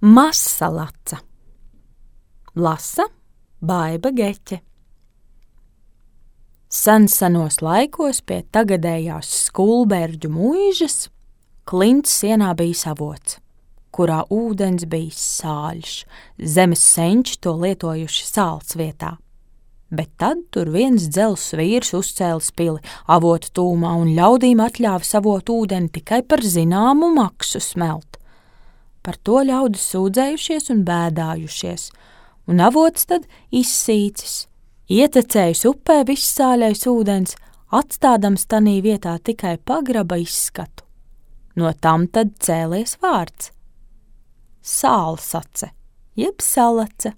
Masalaca. Lasa Baiba Geķe. Senos laikos pie tagadējās Skulberģu mūižas klints sienā bija savots, kurā ūdens bija sāļš, zemes senči to lietojuši sāls vietā. Bet tad tur viens dzelzs vīrs uzcēlis pili avotu tūmā un ļaudīm atļāva savot ūdeni tikai par zināmu maksu smelt. Par to ļaudis sūdzējušies un bēdājušies, un avots tad izsīcis, ietecējis upē viss sāļais ūdens, atstādams tanī vietā tikai pagraba izskatu. No tam tad cēlies vārds – Sālsace, jeb salace.